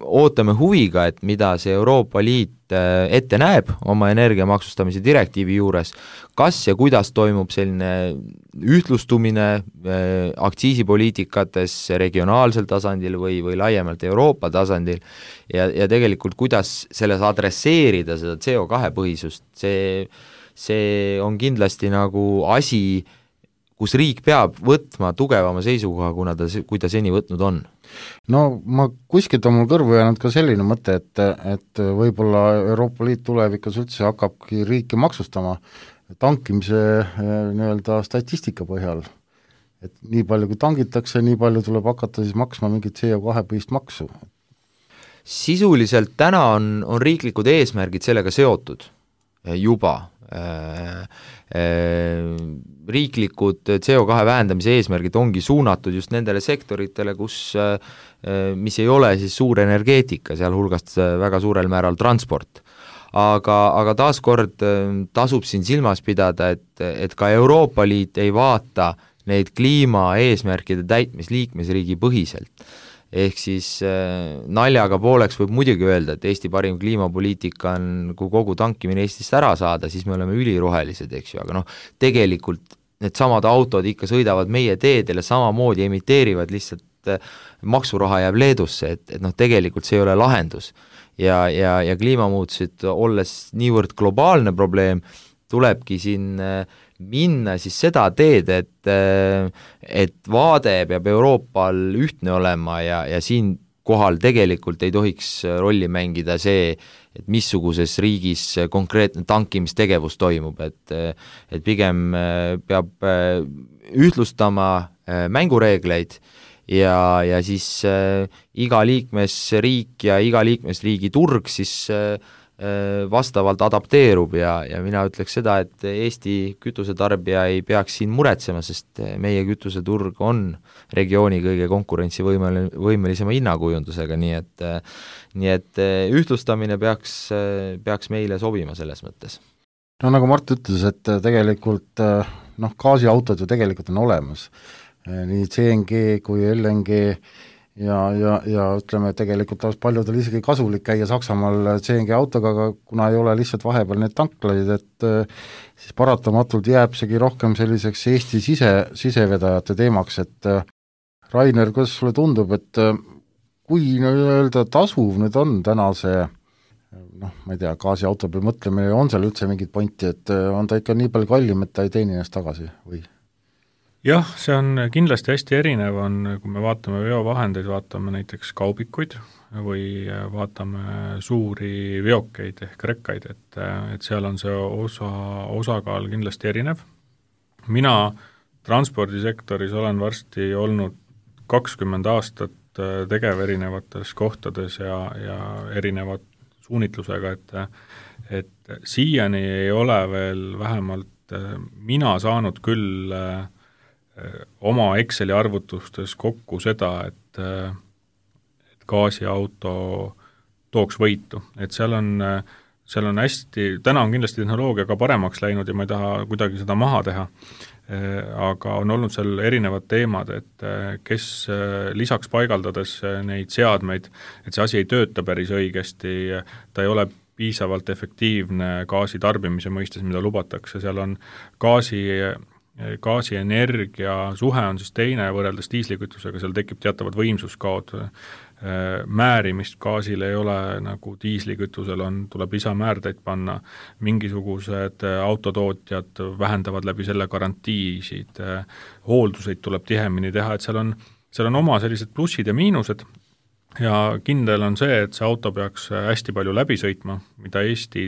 ootame huviga, et mida see Euroopa Liit ette näeb oma energiamaksustamise direktiivi juures, kas ja kuidas toimub selline ühtlustumine aktsiisipoliitikates regionaalsel tasandil või, või laiemalt Euroopa tasandil ja, ja tegelikult kuidas selles adresseerida seda C O kahe põhisust, see, see on kindlasti nagu asi, kus riik peab võtma tugevama seisukoha, kuna ta, kui ta seni võtnud on. No ma kuskilt on mul kõrvu jäänud ka selline mõte, et, et võib-olla Euroopa Liit tulevikus üldse hakkabki riiki maksustama tankimise nii-öelda statistika põhjal. Et nii palju kui tangitakse, nii palju tuleb hakata siis maksma mingit C O kahe põhist maksu. Sisuliselt täna on, on riiklikud eesmärgid sellega seotud juba. Riiklikud C O kahe vähendamise eesmärgid ongi suunatud just nendele sektoritele, kus, mis ei ole siis suur energeetika, sealhulgast väga suurel määral transport. Aga, aga taaskord tasub siin silmas pidada, et, et ka Euroopa Liit ei vaata neid kliimaeesmärkide täitmis liikmesriigi põhiselt. Ehk siis naljaga pooleks võib muidugi öelda, et Eesti parim kliimapoliitika on, kui kogu tankimine Eestist ära saada, siis me oleme ülirohelised, eks ju, aga noh, tegelikult need samad autod ikka sõidavad meie teedele, samamoodi emiteerivad, lihtsalt maksuraha jääb Leedusse, et, et noh, tegelikult see ei ole lahendus. Ja, ja, ja kliimamuutused, olles niivõrd globaalne probleem, tulebki siin minna siis seda teed, et, et vaade peab Euroopal ühtne olema ja, ja siin kohal tegelikult ei tohiks rolli mängida see, et missuguses riigis konkreetne tankimistegevus toimub, et, et pigem peab ühtlustama mängureegleid ja, ja siis iga liikmesriik ja iga liikmesriigi turg siis vastavalt adapteerub ja, ja mina ütleks seda, et Eesti kütusetarbija ei peaks siin muretsema, sest meie kütuseturg on regiooni kõige konkurentsivõimel-, võimelisema hinnakujundusega, nii et nii et ühtlustamine peaks, peaks meile sobima selles mõttes. No nagu Mart ütles, et tegelikult noh, gaasiautod ju tegelikult on olemas, nii C N G kui L N G ja, ja, ja ütleme, tegelikult oleks paljudel isegi kasulik käia Saksamaal C N G autoga, aga kuna ei ole lihtsalt vahepeal neid tanklaid, et siis paratamatult jääb segi rohkem selliseks Eesti sise, sisevedajate teemaks, et Rainer, kuidas sulle tundub, et kui öelda tasuv nüüd on täna see noh, ma ei tea, gaasiauto peal mõtlemine, on seal üldse mingit pointi, et on ta ikka nii palju kallim, et ta ei teeni ennast tagasi või? Jah, see on kindlasti hästi erinev, on, kui me vaatame veovahendeid, vaatame näiteks kaubikuid või vaatame suuri veokeid ehk rekkaid, et, et seal on see osa, osakaal kindlasti erinev. Mina transpordisektoris olen varsti olnud kakskümmend aastat tegev erinevates kohtades ja, ja erinevat suunitlusega, et, et siiani ei ole veel vähemalt mina saanud küll oma Exceli arvutustes kokku seda, et, et gaasiauto tooks võitu, et seal on, seal on hästi, täna on kindlasti tehnoloogia ka paremaks läinud ja ma ei taha kuidagi seda maha teha, aga on olnud seal erinevad teemad, et kes lisaks paigaldades neid seadmeid, et see asi ei tööta päris õigesti, ta ei ole piisavalt efektiivne gaasi tarbimise mõistes, mida lubatakse, seal on gaasi gaasienergia suhe on siis teine võrreldes diislikütusega, seal tekib teatavad võimsuskaod, määrimist gaasil ei ole nagu diislikütusel on, tuleb lisamäärdeid panna, mingisugused autotootjad vähendavad läbi selle garantiisid, hoolduseid tuleb tihemini teha, et seal on, seal on oma sellised plussid ja miinused ja kindel on see, et see auto peaks hästi palju läbi sõitma, mida Eesti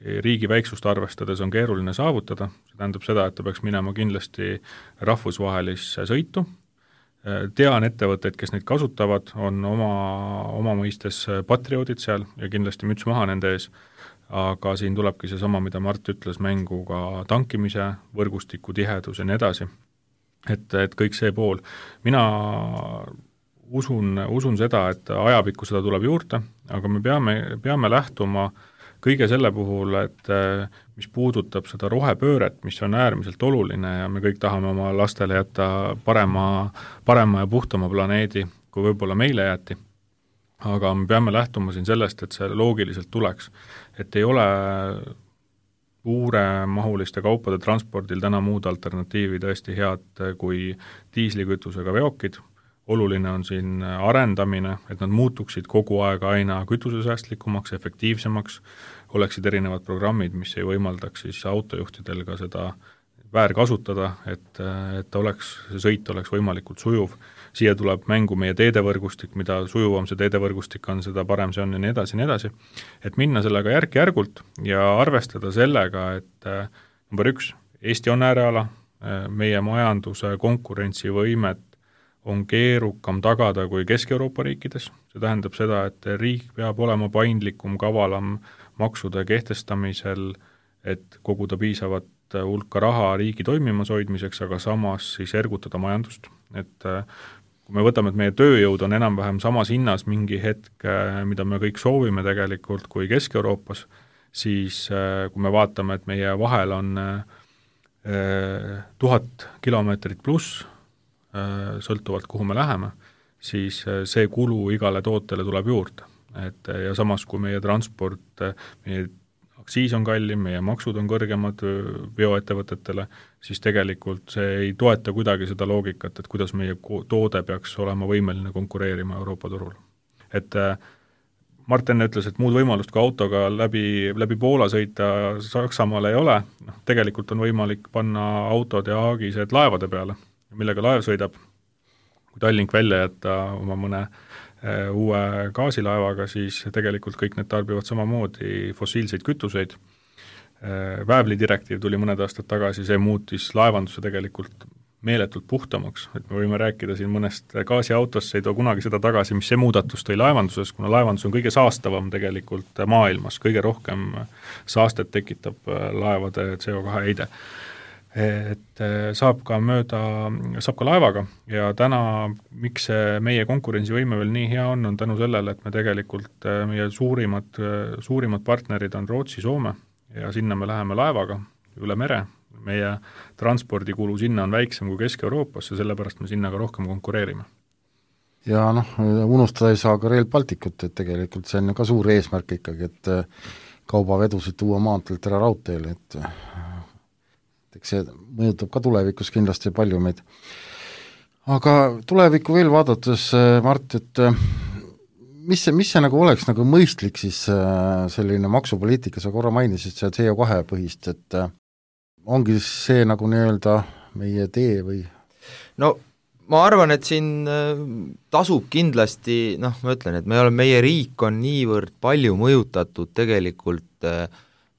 riigi väiksust arvestades on keeruline saavutada, see tähendab seda, et ta peaks minema kindlasti rahvusvahelisse sõitu. Tean ettevõtteid, kes neid kasutavad, on oma, oma mõistes patrioodid seal ja kindlasti müts maha nende ees, aga siin tulebki see sama, mida Mart ütles, mängu ka tankimise, võrgustiku tihedus ja nii edasi. Et, et kõik see pool. Mina usun, usun seda, et ajapikku seda tuleb juurde, aga me peame, peame lähtuma kõige selle puhul, et mis puudutab seda rohepööret, mis on äärmiselt oluline ja me kõik tahame oma lastele jätta parema, parema ja puhtama planeedi, kui võib-olla meile jäeti. Aga me peame lähtuma siin sellest, et see loogiliselt tuleks. Et ei ole suuremahuliste kaupade transpordil täna muud alternatiivi tõesti head kui diislikütusega veokid. Oluline on siin arendamine, et nad muutuksid kogu aeg aina kütusesäästlikumaks, efektiivsemaks, oleksid erinevad programmid, mis ei võimaldaks siis autojuhtidel ka seda väärkasutada, et, et oleks, see sõit oleks võimalikult sujuv. Siia tuleb mängu meie teedevõrgustik, mida sujuvam see teedevõrgustik on, seda parem see on ja nii edasi, nii edasi. Et minna sellega järk-järgult ja arvestada sellega, et number üks, Eesti on ääreala, meie majanduse konkurentsivõimet on keerukam tagada kui Kesk-Euroopa riikides. See tähendab seda, et riik peab olema paindlikum, kavalam maksude kehtestamisel, et koguda piisavat hulka raha riigi toimimas hoidmiseks, aga samas siis ergutada majandust. Et kui me võtame, et meie tööjõud on enam-vähem samas hinnas mingi hetk, mida me kõik soovime tegelikult kui Kesk-Euroopas, siis kui me vaatame, et meie vahel on tuhat kilomeetrit pluss, sõltuvalt kuhu me läheme, siis see kulu igale tootele tuleb juurde. Et, ja samas, kui meie transport, meie aktsiis on kallim, meie maksud on kõrgemad veoettevõtetele, siis tegelikult see ei toeta kuidagi seda loogikat, et kuidas meie toode peaks olema võimeline konkureerima Euroopa turul. Et Martin ütles, et muud võimalust kui autoga läbi, läbi Poola sõita Saksamaal ei ole, noh, tegelikult on võimalik panna autod ja aagised laevade peale, millega laev sõidab, kui Tallink välja jätta oma mõne e, uue gaasilaevaga, siis tegelikult kõik need tarbivad samamoodi fossiilseid kütuseid. E, väävlidirektiiv tuli mõned aastad tagasi, see muutis laevanduse tegelikult meeletult puhtamaks, et me võime rääkida siin mõnest gaasiautost, see ei too kunagi seda tagasi, mis see muudatus tõi laevanduses, kuna laevandus on kõige saastavam tegelikult maailmas, kõige rohkem saastet tekitab laevade C O kahe heide. Et saab ka mööda, saab ka laevaga ja täna, miks see meie konkurentsivõime veel nii hea on, on tänu sellele, et me tegelikult, meie suurimad, suurimad partnerid on Rootsi, Soome ja sinna me läheme laevaga üle mere, meie transpordikulu sinna on väiksem kui Kesk-Euroopas ja sellepärast me sinna ka rohkem konkureerime. Ja noh, unustada ei saa ka Rail Balticut, et tegelikult see on ka suur eesmärk ikkagi, et kaubavedusid tuua maanteelt ära raudteele, et eks see mõjutab ka tulevikus kindlasti palju meid. Aga tulevikku veel vaadates, Mart, et mis see, mis see nagu oleks nagu mõistlik siis selline maksupoliitika, sa korra mainisid see C O kahe põhist, et ongi see nagu nii-öelda meie tee või? No ma arvan, et siin tasub kindlasti, noh, ma ütlen, et me oleme, meie riik on niivõrd palju mõjutatud tegelikult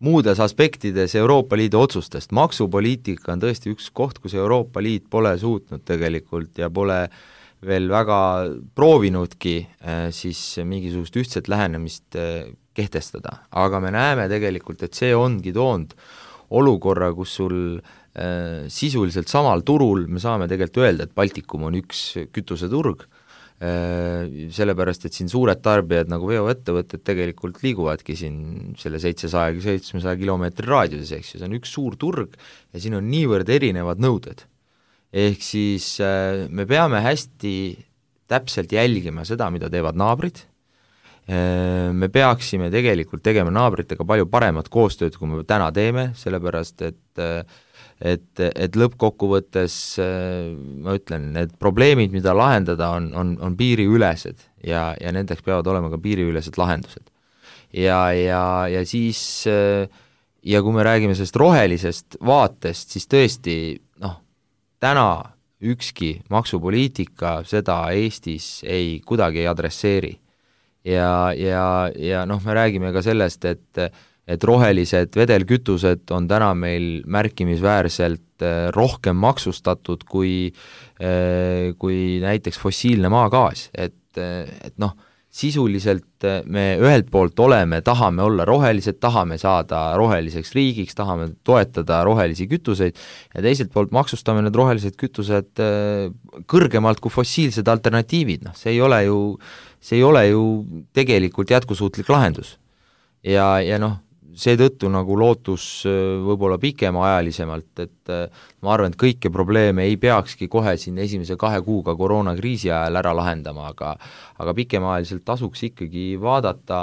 muudes aspektides Euroopa Liidu otsustest. Maksupoliitika on tõesti üks koht, kus Euroopa Liit pole suutnud tegelikult ja pole veel väga proovinudki siis mingisugust ühtset lähenemist kehtestada. Aga me näeme tegelikult, et see ongi toonud olukorra, kus sul äh, sisuliselt samal turul me saame tegelikult öelda, et Baltikum on üks kütuseturg, sellepärast, et siin suured tarbijad nagu veoettevõtted tegelikult liiguvadki siin selle seitsesaja seitsmesaja kilomeetri raadiuses, eks ju, see on üks suur turg ja siin on niivõrd erinevad nõuded. Ehk siis me peame hästi täpselt jälgima seda, mida teevad naabrid, me peaksime tegelikult tegema naabritega palju paremat koostööd, kui me täna teeme, sellepärast et et, et lõppkokkuvõttes ma ütlen, need probleemid, mida lahendada, on, on, on piiriülesed ja, ja nendeks peavad olema ka piiriülesed lahendused. Ja, ja, ja siis, ja kui me räägime sellest rohelisest vaatest, siis tõesti, noh, täna ükski maksupoliitika seda Eestis ei kuidagi ei adresseeri. Ja, ja, ja noh, me räägime ka sellest, et et rohelised vedelkütused on täna meil märkimisväärselt rohkem maksustatud kui, kui näiteks fossiilne maagaas, et, et noh, sisuliselt me ühelt poolt oleme, tahame olla rohelised, tahame saada roheliseks riigiks, tahame toetada rohelisi kütuseid ja teiselt poolt maksustame need rohelised kütused kõrgemalt kui fossiilsed alternatiivid, noh, see ei ole ju, see ei ole ju tegelikult jätkusuutlik lahendus. Ja, ja noh, seetõttu nagu lootus võib-olla pikemaajalisemalt, et ma arvan, et kõiki probleeme ei peakski kohe siin esimese kahe kuuga koroonakriisi ajal ära lahendama, aga aga pikemaajaliselt tasuks ikkagi vaadata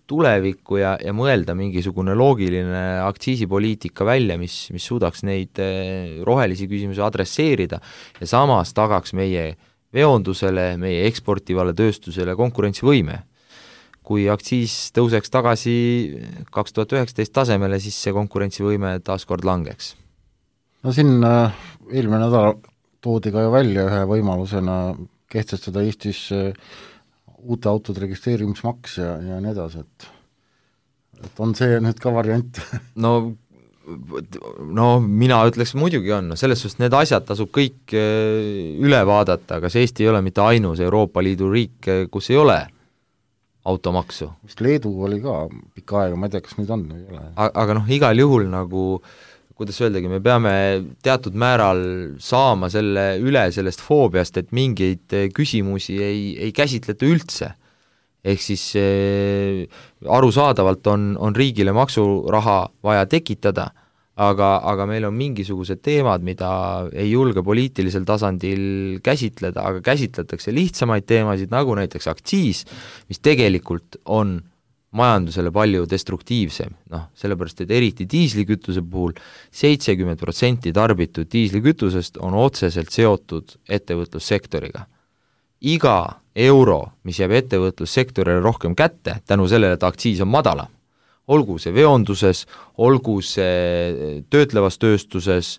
tulevikku ja, ja mõelda mingisugune loogiline aktsiisipoliitika välja, mis, mis suudaks neid rohelisi küsimusi adresseerida ja samas tagaks meie veondusele, meie eksportivale tööstusele konkurentsivõime. Kui aktsiis tõuseks tagasi kaks tuhat üheksateist tasemele, siis see konkurentsivõime taas kord langeks. No siin äh, eelmine nädal toodi ka ju välja ühe võimalusena kehtestada Eestis äh, uute autode registreerimismaks ja, ja nii edasi, et, et on see nüüd ka variant? No no mina ütleks muidugi on, no selles suhtes need asjad tasub kõik üle vaadata, kas Eesti ei ole mitte ainus Euroopa Liidu riik, kus ei ole automaksu. Vist Leedu oli ka pikka aega, ma ei tea, kas nüüd on või ei ole. Aga noh, igal juhul nagu, kuidas öeldagi, me peame teatud määral saama selle üle sellest foobiast, et mingeid küsimusi ei, ei käsitleta üldse. Ehk siis eh, arusaadavalt on, on riigile maksuraha vaja tekitada, aga, aga meil on mingisugused teemad, mida ei julge poliitilisel tasandil käsitleda, aga käsitletakse lihtsamaid teemasid, nagu näiteks aktsiis, mis tegelikult on majandusele palju destruktiivsem, noh, sellepärast, et eriti diislikütuse puhul seitsekümmend protsenti tarbitud diislikütusest on otseselt seotud ettevõtlussektoriga. Iga euro, mis jääb ettevõtlussektorile rohkem kätte, tänu sellele, et aktsiis on madalam, olgu see veonduses, olgu see töötlevas tööstuses,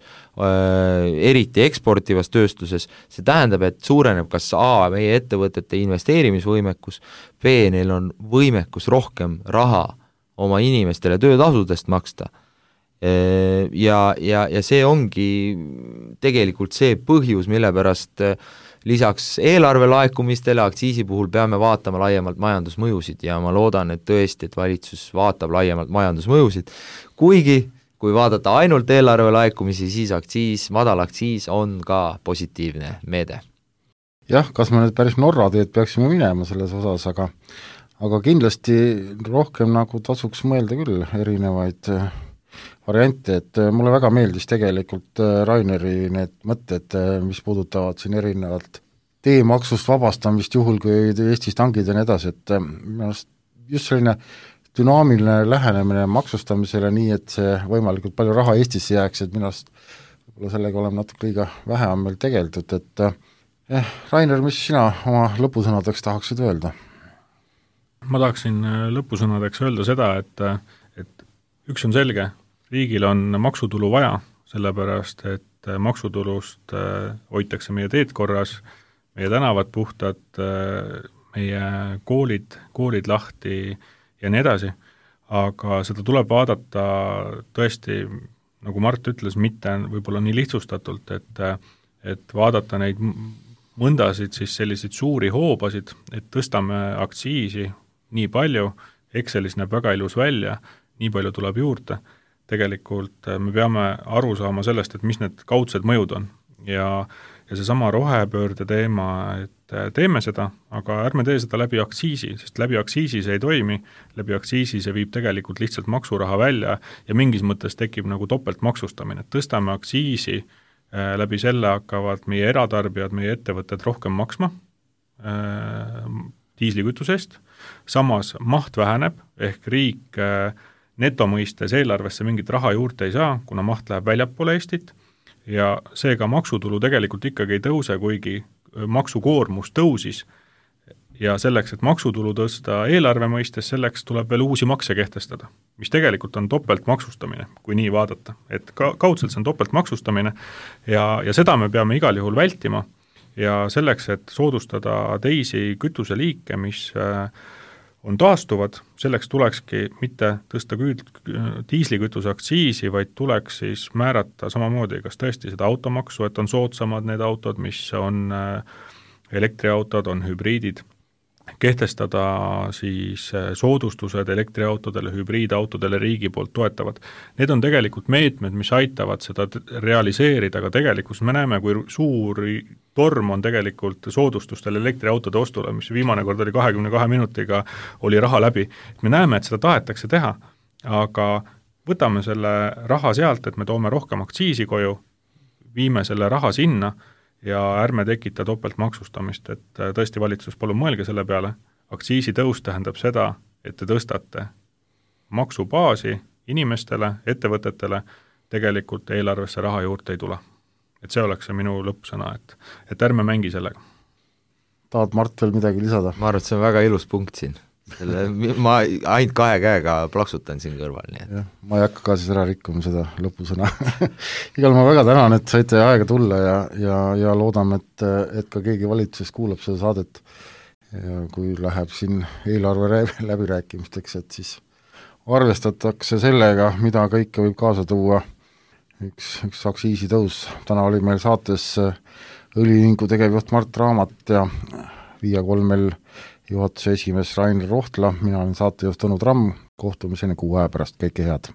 eriti eksportivas tööstuses, see tähendab, et suureneb kas A, meie ettevõtete investeerimisvõimekus, B, neil on võimekus rohkem raha oma inimestele töötasudest maksta. Ja, ja, ja see ongi tegelikult see põhjus, mille pärast lisaks eelarve laekumistele aktsiisi puhul peame vaatama laiemalt majandusmõjusid ja ma loodan, et tõesti, et valitsus vaatab laiemalt majandusmõjusid, kuigi kui vaadata ainult eelarve laekumisi, siis aktsiis, madal aktsiis on ka positiivne meede. Jah, kas me nüüd päris Norra teed peaksime minema selles osas, aga aga kindlasti rohkem nagu tasuks mõelda küll erinevaid variante, et mulle väga meeldis tegelikult Raineri need mõtted, mis puudutavad siin erinevalt teemaksust vabastamist juhul, kui Eestis tangid ja nii edasi, et just selline dünaamiline lähenemine maksustamisele nii, et see võimalikult palju raha Eestisse jääks, et minu arust võib-olla sellega oleme natuke liiga vähe on meil tegeldud, et eh, Rainer, mis sina oma lõpusõnadeks tahaksid öelda? Ma tahaksin lõpusõnadeks öelda seda, et, et üks on selge, riigil on maksutulu vaja, sellepärast et maksutulust hoitakse meie teed korras, meie tänavad puhtad, meie koolid, koolid lahti ja nii edasi, aga seda tuleb vaadata tõesti, nagu Mart ütles, mitte võib-olla nii lihtsustatult, et, et vaadata neid mõndasid siis selliseid suuri hoobasid, et tõstame aktsiisi nii palju, Excelis näeb väga ilus välja, nii palju tuleb juurde, tegelikult me peame aru saama sellest, et mis need kaudsed mõjud on ja, ja see sama rohepöörde teema, et teeme seda, aga ärme tee seda läbi aktsiisi, sest läbi aktsiisi see ei toimi, läbi aktsiisi see viib tegelikult lihtsalt maksuraha välja ja mingis mõttes tekib nagu topeltmaksustamine, et tõstame aktsiisi, läbi selle hakkavad meie eratarbijad, meie ettevõtted rohkem maksma diislikütuse eest, samas maht väheneb, ehk riik netomõistes eelarvesse mingit raha juurde ei saa, kuna maht läheb väljapoole Eestit ja seega maksutulu tegelikult ikkagi ei tõuse, kuigi maksukoormus tõusis ja selleks, et maksutulu tõsta eelarve mõistes, selleks tuleb veel uusi makse kehtestada, mis tegelikult on topeltmaksustamine, kui nii vaadata, et ka, kaudselt see on topeltmaksustamine ja, ja seda me peame igal juhul vältima ja selleks, et soodustada teisi kütuseliike, mis on taastuvad, selleks tulekski mitte tõsta küll diislikütuse aktsiisi, vaid tuleks siis määrata samamoodi, kas tõesti seda automaksu, et on soodsamad need autod, mis on elektriautod, on hübriidid, kehtestada siis soodustused elektriautodele, hübriidautodele riigi poolt toetavad. Need on tegelikult meetmed, mis aitavad seda realiseerida, aga tegelikult me näeme, kui suuri torm on tegelikult soodustustel elektriautode ostule, mis viimane kord oli kahekümne kahe minutiga, oli raha läbi. Me näeme, et seda tahetakse teha, aga võtame selle raha sealt, et me toome rohkem aktsiisi koju, viime selle raha sinna ja ärme tekita topeltmaksustamist, et tõesti valitsus, palun mõelge selle peale, aktsiisitõus tähendab seda, et te tõstate maksubaasi inimestele, ettevõtetele, tegelikult eelarvesse raha juurde ei tule. Et see oleks see minu lõppsõna, et, et ärme mängi sellega. Tahad Mart veel midagi lisada? Ma arvan, et see on väga ilus punkt siin. Selle, ma ainult kahe käega plaksutan siin kõrval. Nii et. Ja, ma ei hakka ka siis ära rikkuma seda lõpusõna. Igal ma väga tänan, et saite aega tulla ja, ja, ja loodame, et, et ka keegi valitsuses kuulab seda saadet ja kui läheb siin eelarve läbirääkimisteks, et siis arvestatakse sellega, mida kõike võib kaasa tuua üks, üks aktsiisitõus. Täna oli meil saates õliühingu tegevjuht Mart Raamat ja Via kolmel juhatuse esimees Rainer Rohtla, mina olen saatejuht Tõnu Tramm, kohtumiseni kuu aja pärast, kõike head!